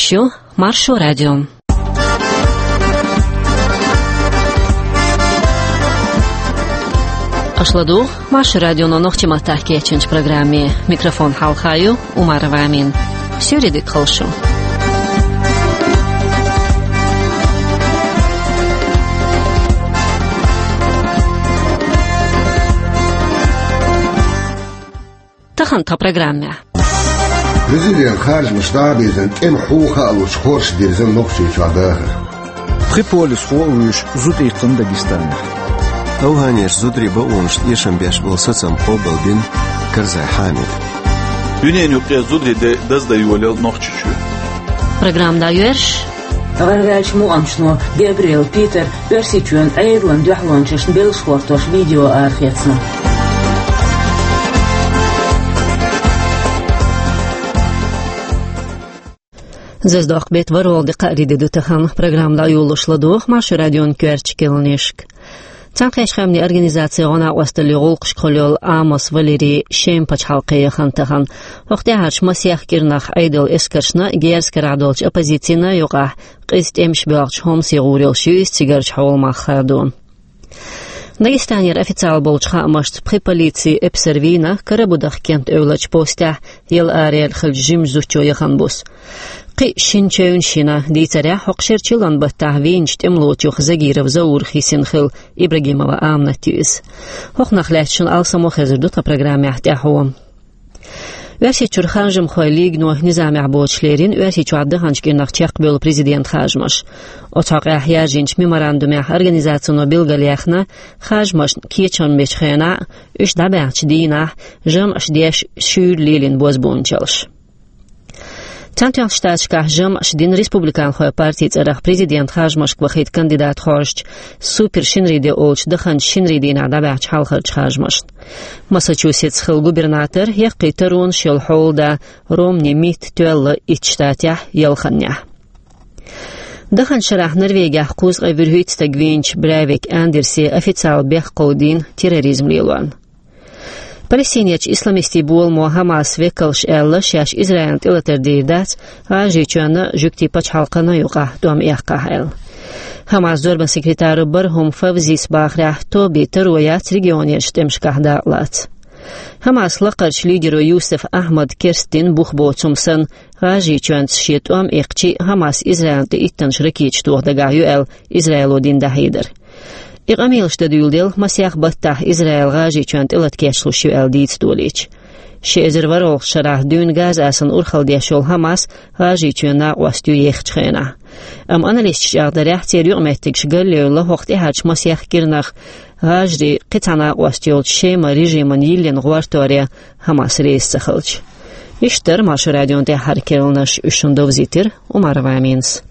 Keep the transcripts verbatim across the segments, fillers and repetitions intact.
Шу Маршо радио. Аша ладугӀу Маршо радионо нохчийн маттахь кечйинчу программе. Микрофон хьалха ю Умарова Амина. Суьйре дика хуьлда шу. Тахана тхан программехь. Президент харжамаш дӀа а бирзина, тӀеман хьуха а луш, хорша дирзина Нохчийчохь дахар. Пхи полисхо а вуьйш зуда иккхина Дагестанехь. Афганерчу зударийн бакъонашна эшам беш болу сацам къобалбина Карзай Хьамида. Дуьненан юккъе зударийн де даздан йолаелла Нохчийчоь. Программа дӀайоьрзуш. ГӀаргӀаьллачу мукъамашно Габриэл Питер Оьрсийчоьнан Ӏедалан дуьхьалончашна беллаш хӀоттош видео арахецна. Зазадоккху беттан ворхӀалгӀа де, кхаарин де ду тахана. Программа дӀайолош ладугӀу Маршо радион коьртачу кхаьънашка. Цхьаьнакхеттачу Къаьмнийн Организацин гӀо-накъосталлин гӀуллакхашка хуьлу йолу Амос Валерий Шема пачхьалкхе яхана тахана. ХӀокху тӀаьхьарчу масех кӀирнах Ӏедалан эскаршна, герзан карахь долчу оппозицина юкъахь къиза тӀемаш боьлхучу хӀуманийн гӀур йолуш ю иза цигарчу хьолмах хадо. Дагестанера официалан болчу хаамашца, пхи полицин эпсар вийна Карабудах кент эвларчу постехь, яла араяьлла хиллачу жимачу зудчо яхана буса. Кхин а шина чевнаш йина. Дийцарехь, хӀокху шеран чиллан баттахь вийначу тӀемалочух Загиров Заурах йисина хилла Ибрагимова Аминат ю иза. ХӀокхунах лаьцна шуна алсам а хезар ду тхан программехь тӀаьхьо. Оьрсийчуьра харжамхойн лигано низамехь боцуш лерина Оьрсийчохь даханчу кӀирнах чекхбевлла президентан харжамаш. Оцу хьокъехь яржийначу меморандумехь организацино билгалъяьхна харжамашна кечам бечу хенахь а, уьш дӀабаьхьначу дийнахь а жамӀаш деш шуьйра лелийна бозбуунчаллаш. Цхьаьнатоьхначу Штаташкахь жамӀаш дина республиканхойн партин цӀарах президентан харжамашка вахийта кандидат хоржучу супер-шинарин де олучу даханчу шинарин дийнахь дӀабаьхьначу хьалхарчу харжамашна. Массачусетсехь хилла губернатор, яккхий таронаш йолу хьолада Ромни Митт тоьлла итт штатехь, ялханнехь. Даханчу шарахь Норвегехь кхузткъе вуьрхӀитта стаг вийначу Брейвик Андерсе официалан бехк кховдийна терроризм лелорна. Палестинерчу исламистийн боламо Хамас векалша аьлла, шаьш Израилна тӀелатар дийр дац, ГӀажарийчоьнна, жуьгтийн пачхьалкхана юкъахь тӀом эккхахь аьлла. Хамас зорбан секретаро Бархум Фавзис бахарехь, тобин таро яц регионерчу тӀемашкахь дакъалаца. Хамас лакхарчу лидеро Юсеф Ахьмада керстдина бух боцу хӀума санна, ГӀажарийчоьнца шен тӀом эккхича а, Хамас Израилна тӀе иттанаш ракеташ тоха дагахь ю аьлла, Израило дина дӀахьедар. И къамелаш дан дуьйладелла, масех баттахь Израил ГӀажарийчоьнна тӀелата кечлуш ю аьлла дийца долийча. Ши эзар ворхӀалгӀачу шарахь дуьйна Газа асанна урхалла деш йолу Хамас ГӀажарийчоьнан накъост ю ехачу хенахь. Амма аналисташа чӀагӀдарехь, церан юкъаметтигаш галъевлла хӀокху тӀаьхьарчу масех кӀирнах ГӀажарий кхин цхьа накъост йолчу Шема режиман йиллина гӀортаре Хамас реза ца хилча. Иштта дара Маршо радион тӀаьххьара керланаш, уьш шуна довзийтира Умарова Аминас.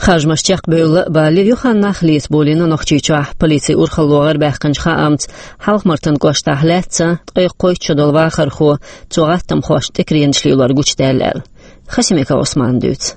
Харжамаш чекхбевлла а бале, юха нах лецаболийна Нохчийчохь. Полицин урхалло гӀарабаьккхинчу хаамца, Хьалха-Мартан кӀоштахь лаьцна ткъе кхойтта шо долу вахархо цо гӀаттамхошна тӀекаренаш лелор гучудаьлла аьлла. Хасимиков Ӏусмана дуьйцу.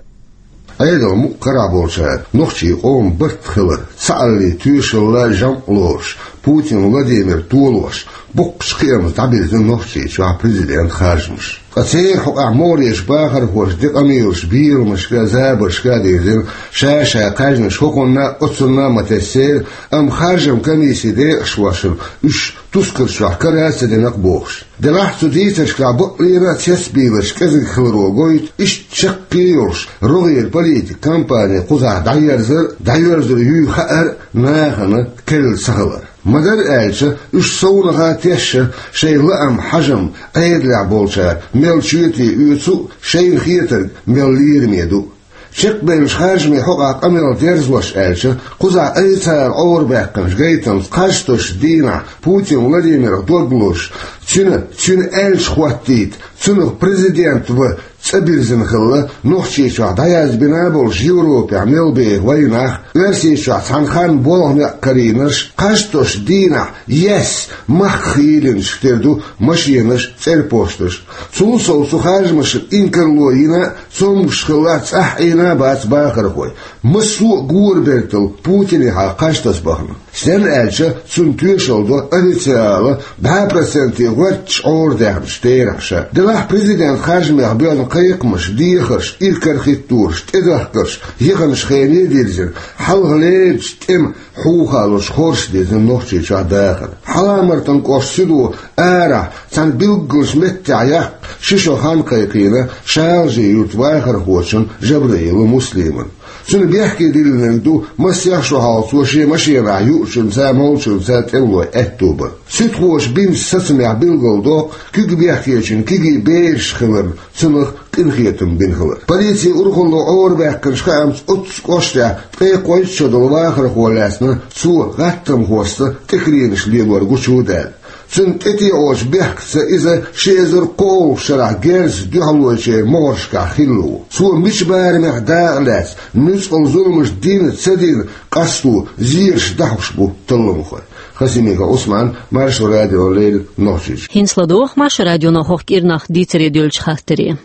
Ӏедалан мукъ карахь болчара нохчийн къоман барт хилар, цхьааллин тоьшалла, жамӀ лоруш, Путин Владимир толош, боккхачу кхиамца дӀабирзина Нохчийчохь президентан харжамаш. Ткъа церан хьокъехь могӀарерчу бахархоша де къамелаш беламашка а, забаршка а дирзина, ша-ша кхаьжнаш хӀокхунна а, оцунна а ма тесна церан, амма харжаман комиссин декъашхошна уьш тускар чохь кара а ца дина-кх бохуш. Делахь цу дийцаршкахь бакълера а цецбийларш кӀезиг хиларо гойту иштта чаккхе а йолуш, рогӀера политикан кампани кхузахь дӀаерзар а, дӀайоьрзур юй хаар а нахана керла ца хилар. Ма-дарра аьлча, уьш совнаха а тешна, шайн лаам, хьажам, Ӏедалехь болчара мел чоьте оьцу а, шайна хетарг мел лераме ду а. Чекхбевллачу харжамийн хьокъехь къамел дерзош аьлча, кхузахь айса цара Ӏорабаьккхинчу гайтамца кхаж тосучу дийнахь Путин Владимирах дог лозуш, цуьнан, цуьнан аьлча хӀоттийта, цунах президент ван цӀа бирзина хилла, Нохчийчохь дӀаязбина а болуш Европехь мел беха вайнах, Оьрсийчохь цхьана ханна болх-некъ карийнарш, кхаж тосучу дийнахь ес мах хийлинчух тера ду машенаш, цӀерпошташ. Цул сов цу харжамашна инкарло йина а, цомгуш хилла а, цӀахь Ӏийна а бац бахархой. Массо а гора бертал Путинехьа кхаж таса бахана. Стенна аьлча, цунна тоьшалла до официала бӀаь проценте гӀотташ Ӏорадехнача терахьаш. Делахь президентан харжамех боьлла кхайкхамаш, дехарш, иракарахӀиттораш, тӀедахкарш, яханчу хене дирзина, хьалха леррина тӀеман хьухалурш хорша дезна Нохчийчохь дахар. Хьалха-Мартан кӀоштан суьдо арахь цхьана билггал меттехь яккха ши шо хан кхайкхийна ШалжеӀар-юьртан вахархочун Жабраилов Муслиман. Цунна бехке диллинарг ду, масех шо хьалха цо шен машенахь юучуьнца, молчуьнца тӀемалой аьтто бар. Суьдхоша бинчу сацамехь билгалдоккху куьг бехкечун кегий бераш хиларна цунах къинхетам бина хилар. Полицин урхалло Ӏорабаьккхинчу хаамца, оццу кӀоштехь ткъе кхойтта шо долу вахархо лаьцна цо гӀаттамхошца тӀекаренаш лелор гучудаьлла. Цуьнан тӀетеӀочу бехкаца иза ши эзар кхоалгӀачу шарахь герзаца дуьхьалойчеран могӀаршкахь хилла ву. Цо мича барамехь дакъа лаьцна, нуьцкъала зуламаш дина ца дина къасто зераш дӀахьош бу талламхой. Хасимиков Ӏусман, Маршо радиона леррина, Нохчийчоь. ХӀинца ладогӀа Маршо радионо хӀокху кӀирнах дийцаре дуьллучу хаттаре.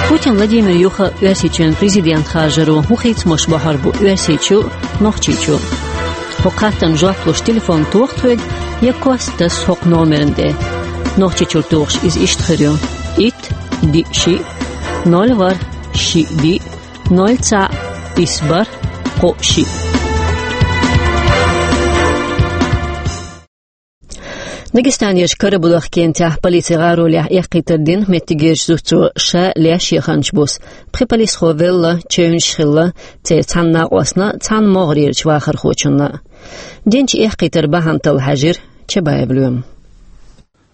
Путин Владимир юха Оьрсийчоьнан президент харжаро хӀун хийцамаш бохьур бу Оьрсийчу а, Нохчийчу а? ХӀокху хаттарна жоп луш телефон тоха тхоьга я кост таса хӀокху номерна тӀе. Нохчийчуьра тухуш иза иштта хир ю: итт, диъ, шиъ, ноль, ворхӀ, шиъ, диъ, ноль, цхьаъ, исс, бархӀ, кхоъ, шиъ. Дагестанерчу Карабудах кентехь полицин гӀаролехь эккхийтар дина меттигерчу зудчо ша леш яханчу буса. Пхи полисхо велла, чевнаш хилла церан цхьана накъостна а, цхьана могӀарерчу вахархочунна а. Динчу эккхийтаран бахьана талла хьаьжира Чабаев Лоьма.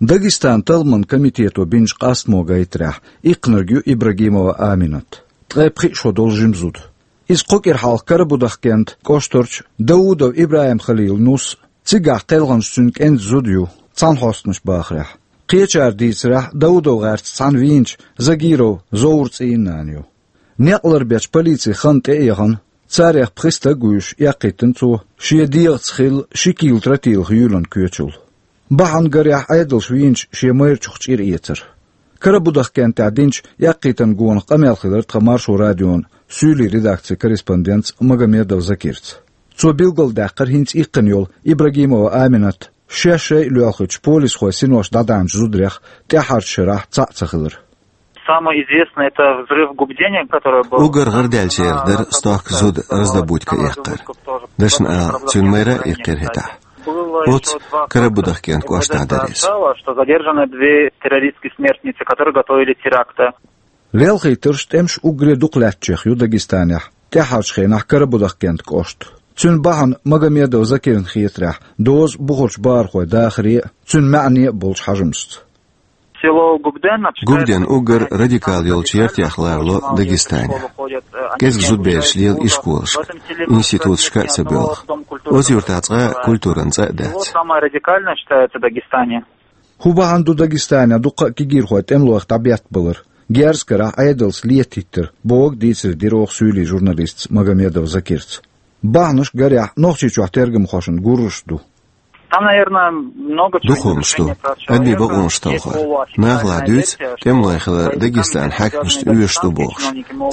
Дагестанан талламан комитето бинчу къастамо гайтарехь, иккхинарг ю Ибрагимова Аминат, ткъе пхиъ шо долу жима зуда. Иза кхо кӀира хьалха Карабудах кентан кӀоштарчу Даудов ИбрахӀим-Халилан нус а, цигахь кхелхинчу цуьнан кӀентан зуда ю, цхьаьнахьостанаш бахарехь. Кхечара дийцарехь, Даудов гӀерташ цхьаьна вийначу Загиров Зовран цӀийнан нана ю. Некъ ларбечу полицин хан тӀе а яхана, царех пхи стаг а вуьйш, эккхийтина цо шен дегӀаца хилла ши кийла тротилах юьйланна коьчул. Бахьана гарехь, Ӏедалша вийначу шен майрачух чӀир эцар. Карабудах кентехь динчу эккхийтаран гонах къамел хилира тхан Маршо радион суьйлийн редакцин корреспондентца Магомедов Закирца. Цо билгалдаьккхира хӀинца иккхина йолу Ибрагимова Аминат шаьш шайъа лоьлхучу полисхойн синош дӀадаьхьначу зударех тӀаьххьарчу шарахь цхьаъ ца хилар. Самое известное — это взрыв в Губдене, который был... Уггар гӀарадаьллачарах дара стохка зуда раздобудка эккхар. Дашна ала, цуьнан майра а иккхира хӀетахь. Оццу Карабудах кентан кӀоштахь дара иза. Что задержаны две террористские смертницы, которые готовили теракты. Лелхийтарш, тӀемаш уггаре дукха лаьттачех ю Дагестанехь, тӀаьххьарчу хенахь Карабудах кентан кӀошта. Цуьнан бахьана Магомедов Закирна хетарехь доза бухарчу бахархойн дахаре а, цуьнан маьӀне а болчу хьажамашца. Село Губден считается... Губден уггар радикал йолчу яртех ларло Дагестане. КӀезиг зудабераш лела ишколашка, институташка а ца боьлху. Оцу юьртахь цкъа а культуран цӀа а дац. Самое радикальное считается в Дагестане. ХӀун бахьана ду Дагестанехь дуккха а кегийрхой тӀемалойх дӀабеттабалар, герз карахь Ӏедалца летахӀиттар, бохург дийцаре дира оха суьйлийн журналистца Магомедов Закирца. Бахьанаш гарехь Нохчийчохь тергамхошна гурраш ду. Там, наверное, много чего... Дукха хӀуманаш ду. Адамийн бакъонаш талхор. Наха ладуьйцу, тӀемалой хилар Дагестанан хьаькамашна оьшуш ду бохуш.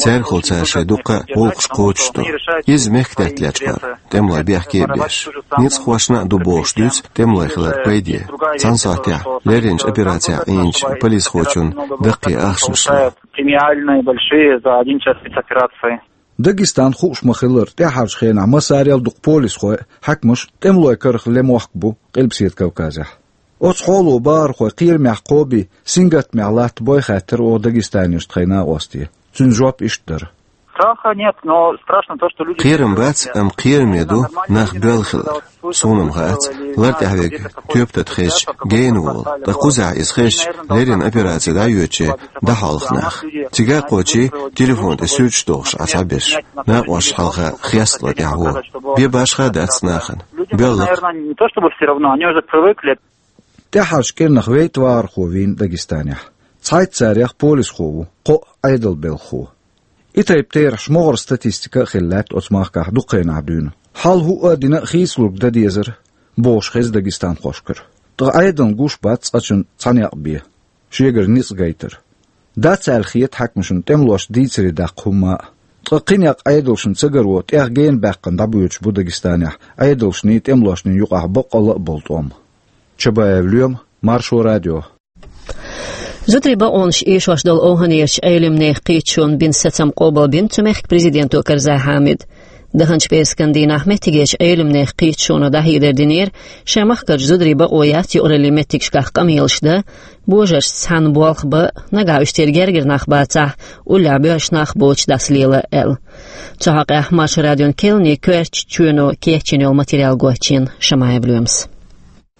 Цаьргахула цара шайн дуккха а гӀуллакхаш кхочуш ду. Иза мехкдаьтта лечкъор, тӀемалой бехке а беш. Ницкъахошна а ду бохуш дуьйцу тӀемалой хиларан пайде. Цхьана сохьтехь лерринчу операцехь Ӏийначу полисхочун даккхий ахчанаш ло. Премиальные большие за один час спецоперации. Дагестан, хууш ма-хиллара, тӀаьххьарчу хенахь массарел а дукха полисхой а, хьаькамаш а тӀемалойн карах лемохк бу Къилбаседа Кавказехь. Оцу хьоло бахархой кхерамехь кхобий, сингаттамехь латта бой хаьттира оха дагестанерчу тхайн накъосте. Цуьнан жоп иштта дара. Страха нет, но страшно то, что люди... Кхерам бац, амма кхераме ду нах боьлла хилар. Суна-м хаац, лар тӀехь верг тоьпан тата хезча гена волу, ткъа кхузахь иза хезча, леррина операци дӀайоьдуче дӀахьолху нах. Цига а кхочий, телефон тӀе суьрташ дохуш Ӏа цхьаберш. Накъосташна хьалха хеста лар тӀехь гӀо. Бен башха а дац нахана. Боьлла-кх. Наверное, не то чтобы всё равно, они уже привыкли. ТӀаьххьарчу кӀирнах вейтта вахархо вийна Дагестанехь. Цхьайтта царех полисхо ву, кхоъ Ӏедалан белхахо. И тайпа терахьаш могӀара статистика а хилла лаьтта оцу махкахь дукха хенахь дуьйна. Хьал хӀуъа а дина а хийцалург дан дезара, бохуш хеза дагестанхошкара. Ткъа Ӏедална гуш бац цкъачунна цхьа некъ бен, шегара ницкъ гайтар. Дац аьлла хета хьаькамашна тӀемалошна дийцаре даккха хӀумма а. Ткъа кхин некъ Ӏедалшна ца гаро тӀех гена баьккхина дӀабоьдуш бу Дагестанехь Ӏедалшний тӀемалошний юкъахь баккъалла а болу тӀом. Чабаев Лоьма, Маршо радио. Зударийн бакъонаш эшош долу ОвхӀанерчу Ӏелимнехан кхеташоно бина сацам къобалбина цу мехкан президенто Карзай Хьамида. Даханчу пӀераскан дийнахь меттигерчу Ӏелимнехан кхеташоно дӀахьедар динера, шайн махкарчу зударийн бакъо яц юкъараллин меттигашкахь къамелаш дан, божаршца цхьаьна болх бан, нагахь уьш церан гергара нах бацахь, уллехь боьрша нах боцуш дӀасалела аьлла. Цу хьокъехь Маршо радион кхаьънийн коьртачу чоьно кечйина йолу материал гочйина Шамаев Лоьмас.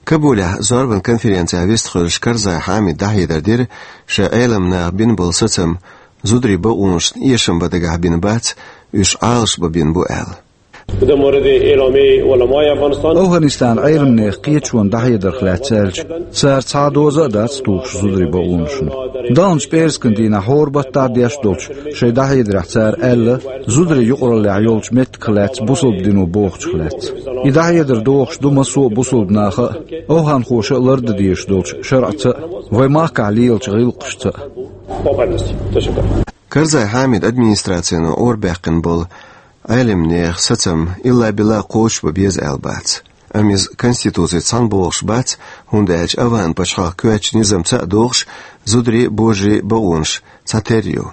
Кабулехь зорбан конференцехь вистхуьлуш Карзай Хьамида дӀахьедар дира, шайн Ӏелам наха бина болу сацам зударийн бакъонашна эшам бан дагахь бина бац, уьш Ӏалашбан бина бу аьлла. ОвхӀанистанан Ӏелимнехан кхеташонан дӀахьедарх лаьцна аьлча, цара цхьа а доза а дац тухуш зударийн бакъонашна. Даханчу пӀераскан дийнахь хӀора баттахь деш долчу шайн дӀахьедарехь цара аьлла, зударийн юкъараллехь йолчу меттигах лаьцна бусалба дино бохучух лаьцна. И дӀахьедар дохуш ду массо а бусалба наха а, овхӀанхоша а лардан дезаш долчу шарӀаца а, вайн махкахь лелачу гӀиллакхашца а. Карзай Хьамидан администрацино Ӏорабаьккхина болу Ӏелимнехан сацам илла-билла кхочушбан беза аьлла бац. Амма иза Конституцица цхьаьна богӀуш бац, хӀунда аьлча ОвхӀан пачхьалкхан коьртачу низамца а догӀуш, зударийн а, божарийн а бакъонаш цхьатерра ю.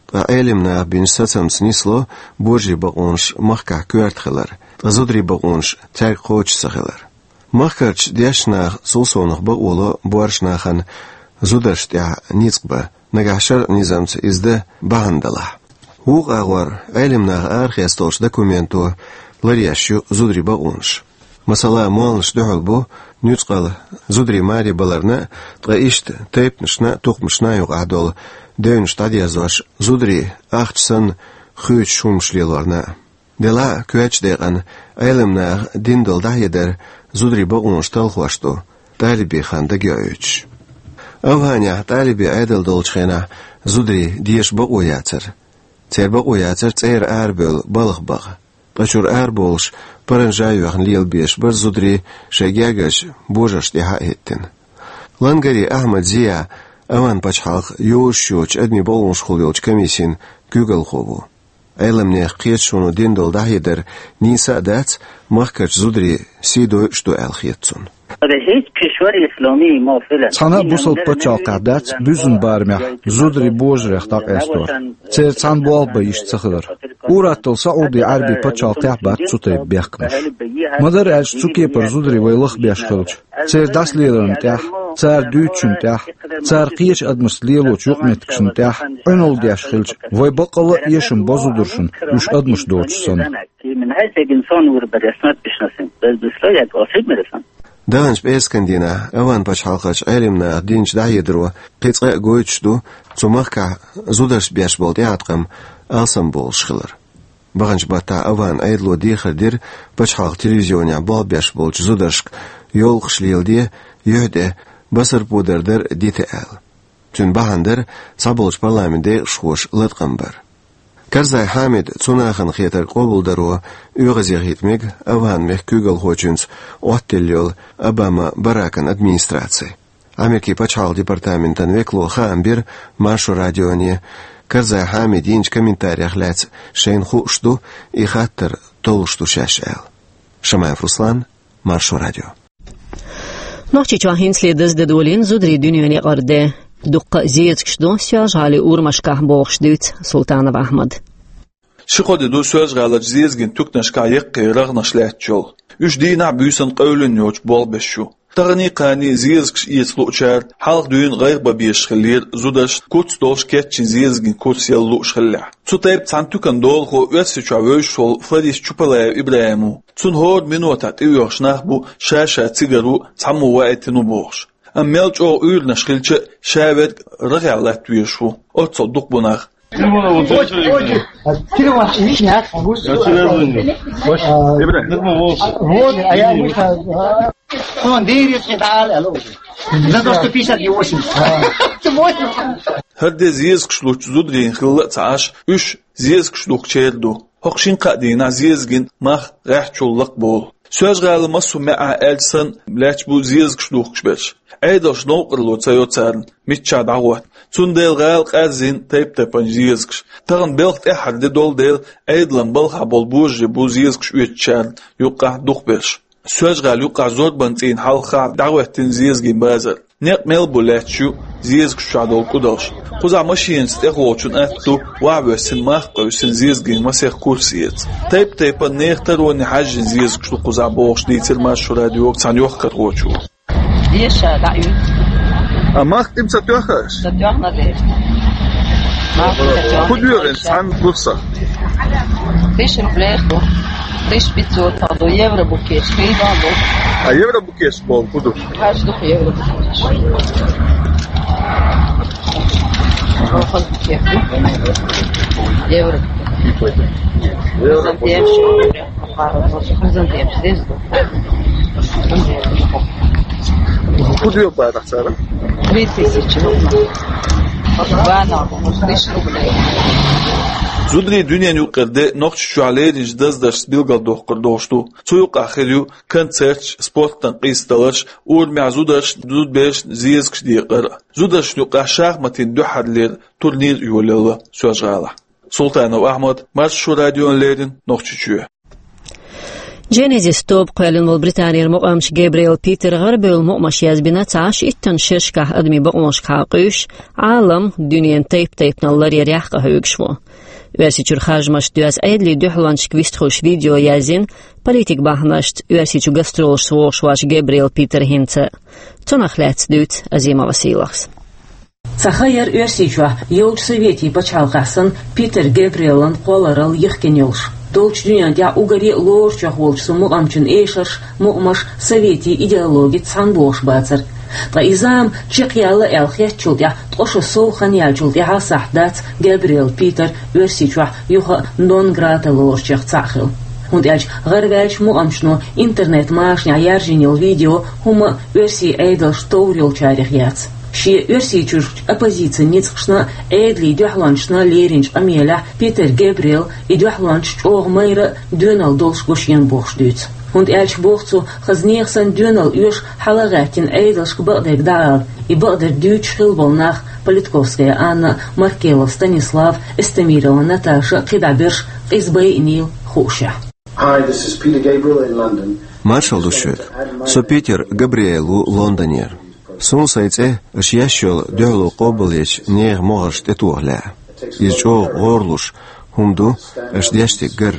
Ткъа Ӏелам наха бинчу сацамца нисло божарийн бакъонаш махкахь коьрта хилар, ткъа зударийн бакъонаш цаьрга кхочуш ца хилар. Махкарчу дешначу наха цул совнаха бакъо ло боьрша нахана зударшна тӀехь ницкъ бан, нагахь шарӀан низамца иза дан бахьана далахь. Вукху агӀор Ӏелам наха арахецна долчу документо ларъеш ю зударийн бакъонаш. Масала, молланаш дуьхьал бу нуьцкъала зударийн маре баларна а, ткъа иштта тайпанашна а, тукхамашна а юкъахь долу девнаш дӀадерзош, зударий ахча санна хоьтуш хӀуманаш лелорна а. Делахь а, коьртачу декъана Ӏелам наха дина долу дӀахьедар зударийн бакъонаш талхош ду, талибийн хан дагайоуьйтуш. ОвхӀанехь талибийн Ӏедал долчу хенахь зударийн деша бакъо яцара. Церан бакъо яцара цӀера арабевлла балха бакъ. Ткъа чуьра арабовлуш, паранжа а йоьхна лелабеш бара зударий шайн гергарчу божаршна тӀехь а хӀиттина. Лангари Ахьмад Зия ОвхӀан пачхьалкхан йозуш йоцчу адамийн бакъонашкахула йолчу комиссин куьйгалхо ву. Ӏелам нехан кхеташоно дина долу дӀахьедар нийса а дац, махкарчу зударийн сий дойуш ду аьлла хета цунна. Цхьана а бусалба пачхьалкхехь дац буьззина барамехь зударий божарех дӀакъастор, церан цхьаьна болх бан йиш ца хилар. Ур-атталла СаӀуди-Ӏаьрбийн пачхьалкхехь бац цу тайпа бехкамаш. Ма-дарра аьлча, цу кепара зударий вай лахбеш хилча, церан дӀасалеларна тӀехь, цара дуьйцучунна тӀехь, цара кхечу адамашца лелочу юкъаметтигашна тӀехь Ӏуналла деш хилча, вай баккъалла а эшам бо зударшна, уьш адамаш доцуш санна. Даханчу пӀераскан дийнахь ОвхӀан пачхьалкхерчу Ӏелам наха динчу дӀахьедаро кхин цкъа а гойтуш ду цу махкахь зударшна беш болу тӀеӀаткъам алсамбовлуш хилар. Баханчу баттахь ОвхӀан Ӏедало дехар дира пачхьалкхан телевизионехь болх беш болчу зударшка йовлакхаш леладе, юьхь тӀе басарпо дар дита аьлла. Цуьнан бахьана дара цхьаболчу парламентан декъашхоша латкъам бар. Карзай Хьамида цу нахана хетарг къобалдаро оьгӀазе хӀита мега ОвхӀан мехкан куьйгалхочуьнца Ӏоттаделла йолу Обама Баракан администраци. Америкин пачхьалкхан департаментан векало хаам бира Маршо радионе, Карзай Хьамида йинчу комментарех лаьцна шайна хууш ду, и хаттар толлуш ду шаьш аьлла. Шамаев Руслан, Маршо радио. Нохчийчохь хӀинцале даздан долийна зударийн дуьненан некъара де. Дуккха а зезагаш ду Соьлжа-ГӀалин урамашкахь, бохуш дуьйцу Султанов Ахьмада. Ши-кхо де ду Соьлжа-ГӀаларчу зезаган туьканашкахь яккхий рагӀнаш лаьтташ йолу. Уьш дийнахь а, буьйсанна а къевлина йоцуш болх беш ю. Таханий-кханий зезагаш эца луучара хьалха дуьйна гӀайгӀа бан безаш хиллера зударшна, куц долуш кечйина зезаган курс яла лууш хиллехь. Цу тайпа цхьана туьканан долахо Оьрсийчохь вевзаш волу флорист Чупалаев ИбрахӀим ву. Цунна хӀора минотехь тӀеоьхуш нах бу, ша-ша цигара ву, цхьаммо ваийтина ву бохуш. Амма мел чӀогӀа уьйранаш хилча а, ша верг рагӀехь латта везаш ву. Оццул дукха бу нах. ХӀара де зезагаш лучу зударийн хилла а ца Ӏаш, уьш зезагаш духкучеран ду. ХӀокху шина-кхаа дийнахь зезаган мах гӀеххьачул лакхаболу. Соьлжа-ГӀала массо а маьӀӀехь аьлча санна лаьтташ бу зезагаш духкуш берш. Ӏедалша новкъарло ца йо царна, миччахь дӀагӀотта. Цундела гӀала къарзийна тайп-тайпана зезагаш. Тахана белхан тӀаьххьара де долу дела, Ӏедалан балхахь болу божарий бу зезагаш оьцучарна юккъехь дукхахберш. Соьлжа-ГӀала юккъехь Зорбанан цӀийнан хьалха дӀахӀоьттина зезагийн базар. Некъ мел бу лаьтташ ю зезагаш чохь долу кӀудалш. Кхузахь машинаца тӀехволчун атта ду, ваха воьссина, мах къевсина зезагийн масех курс эца. Тайп-тайпана нехан тароне хьаьжжина зезагаш ду кхузахь бохуш дийцира Маршо радиога цхьана йохкархочо. Деша, дӀа ю. А мах тӀе ца тоьхна аш? Ца тоьхна деша. Мах тӀе ца тоьхна. ХӀун доьху цхьана курсах? Тысяча рублей ду. Тысяча пятьсот ду. Евро букеш, хӀинца ду. А евро букеш боху хӀун ду? Хьаж ду евро букеш. Евро. Евро. ХӀун доьху бара цара? Три тысячи. Вана, тысяча рублей. Зударийн дуьненан юккъера де Нохчийчохь леринчу даздаршца билгалдоккхур долуш ду. Цу юккъехь хир ю концерташ, спортан къийсадаларш, урамехь зударшна, зудаберашна зезагаш декъар. Зударшна юккъехь шахматийн дуьххьарлера турнир а йолаелла Соьлжа-ГӀалахь. Султанов Ахьмад, Маршо радиона леррина, Нохчийчоь. Genesis тоба кхоьллина волу Британера мукъамча Габриэл Питера гӀарабевлла мукъамаш язбина цхьа шийтта шерашкахь адамийн бакъонашкахьа къуьйсуш, Ӏалам, дуьненан тайп-тайпанал ларъярехь къахьоьгуш ву. Оьрсийчуьра харжамашца доьзна Ӏедалан дуьхьалончашка вистхуьлуш видео язйина, политик бахьанашца Оьрсийчу гастролашца вогӀуш воцу Габриэл Питер хӀинца. Цунах лаьцна дуьйцу Азимова Сийлахьас. Цхьа хан яра Оьрсийчохь йолчу советийн пачхьалкхехь санна Питер Габриэлан кхолларалла йихкина йолуш. Долчу дуьненна тӀехь уггаре а лоручех волчу цу мукъамчун эшарш, мукъамаш советийн идеологица цхьаьна богӀуш бацара. Ткъа и зама чекхъяьлла аьлла хеттачул тӀаьхьа ткъа шо сов хан яьллачул тӀаьхьа сахьт дац Габриэл Питер Оьрсийчохь юха а нон грата лоручех цхьаъ хила. ХӀунда аьлча гӀараваьллачу мукъамчано интернет-машанехь яржийна йолу видео хӀумма а оьрсийн Ӏедалша товр йолчарех яц. Шен Оьрсийчуьрчу оппозицин ницкъашна а, Ӏедалан дуьхьалончашна а леринчу къамелехь Питер Габриэл и дуьхьалончаш чӀогӀа майра а, доьналла долуш го шена бохуш дуьйцу. ХӀунда аьлча боху цо, хаза нехан санна доьналла оьшу хьала а гӀаьттина Ӏедалшка бакъдерг дӀаала, и бакъдерг дуьйцуш хилла болу нах Политковская Анна, Маркелов Станислав, Эстемирова Наташа а, кхидӀа берш къиза байинийла хуушехь. Hi, this is Peter Gabriel in London. Маршалла ду шуьга. Со Питер Габриэл ву Лондонера. Суна сайн цӀе аша еш йолу дуьхьало къобалъечу нехан могӀаршна тӀетоха лаьа. Иза чӀогӀа гӀорлуш хӀума ду аша деш дерг гар.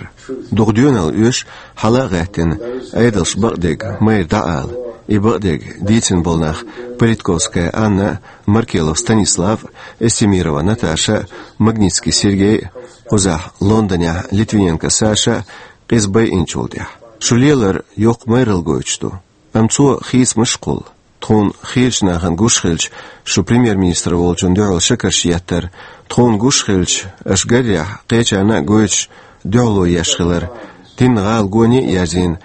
Дукха доьналла оьшу хьала а гӀаьттина, Ӏедалшка бакъдерг майра дӀаала, и бакъдерг дийцина болу нах Политковская Анна а, Маркелов Станислав а, Эстемирова Наташа а, Магнитский Сергей а, кхузахь Лондонехь Литвиненко Саша а, къиза байинчул тӀаьхьа. Шу лелар йоккха майралла гойтуш ду. Амма цо хийцамаш а кхуллу. Тхуна хийрачу нахана гуш хилча, шу премьер-министр волчун дуьхьал шекарш еттара, тхуна гуш хилча, аша гарехь, кхечарна а гойтуш, дуьхьало еш хилар, динна гӀала гоне а язйина,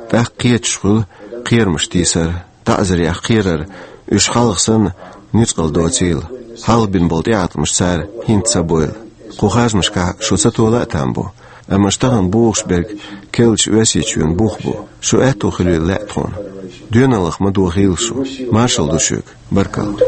тӀаккха кхеташ хуьлу кхерамаш тийсар, таӀзарех кхерар, уьш хьалха санна нуьцкъала доцийла. Хьалха бина болу тӀеӀаткъамаш цара хӀинца ца бойла. Кху харжамашкахь шу ца тола а там бу, амма аша тахана бохуш берг керлачу Оьрсийчоьнан бух бу. Шу аьтто хуьлийла лаьа тхуна. Доьналлах ма дохийла шу. Маршалла ду шуьга. Баркалла.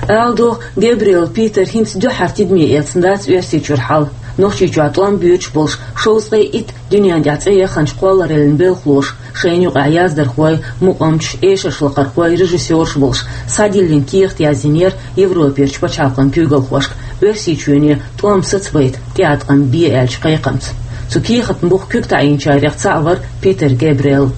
Ала догӀу, Габриэл Питер хӀинца дуьххьара тидаме эцна дац Оьрсийчуьра хьал. Нохчийчохь тӀом боьдуш болуш шовзткъе итт дуьненна тӀехь цӀе яханчу кхоллараллин белхалоша, шайна юкъахь яздархой, мукъамчаш, эшаршлакхархой, режиссерш болуш, схьадиллина кехат язйинера Европерчу пачхьалкхан куьйгалхошка, Оьрсийчоьне тӀом сацабайта тӀеӀаткъам бе аьллачу кхайкхамца. Цу кехатна буха куьг таӀийначарех цхьаъ вара Питер Габриэл.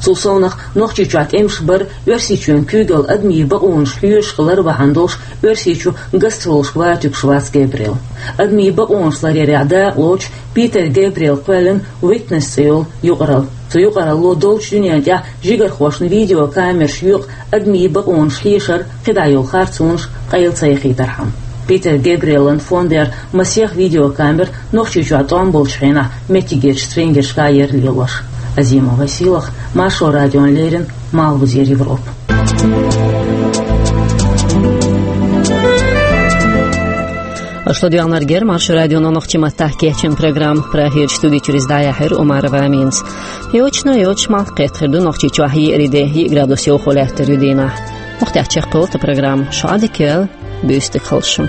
Цул совнах, Нохчийчохь тӀемаш бар, Оьрсийчоьнан куьйгалла адамийн бакъонаш хьоьжуш хилар бахьана долуш, Оьрсийчу гастролашка ватуьгуш вац Габриэл. Адамийн бакъонаш ларъярехь дакъалоцуш, Питер Габриэл кхоьллина Witness цӀе йолу юкъаралла. Цу юкъаралло долчу дуьненна тӀехь жигархошна видеокамераш йоькъу адамийн бакъонаш хьешар, кхидӀа йолу харцонаш къайла ца яхийтархьама. Питер Габриэлан фондера масех видеокамера Нохчийчохь тӀом болчу хенахь меттигерчу стрингершкахь яра лелош. Азимова Сийлахь, Маршо радиона леррина, Малхбузера Европа. Аша ладоьгӀнарг яра Маршо радион нохчийн маттахь кечйина программа. Прагерчу студи чуьра иза дӀаяьхьира Умарова Аминас. Йочана йоцуш малх кхетта хир ду Нохчийчохь еарин де, йиъ градус йовхо лаьттар ю дийнахь. Охтяхчехъул та программа шуадикел бюстик халшу.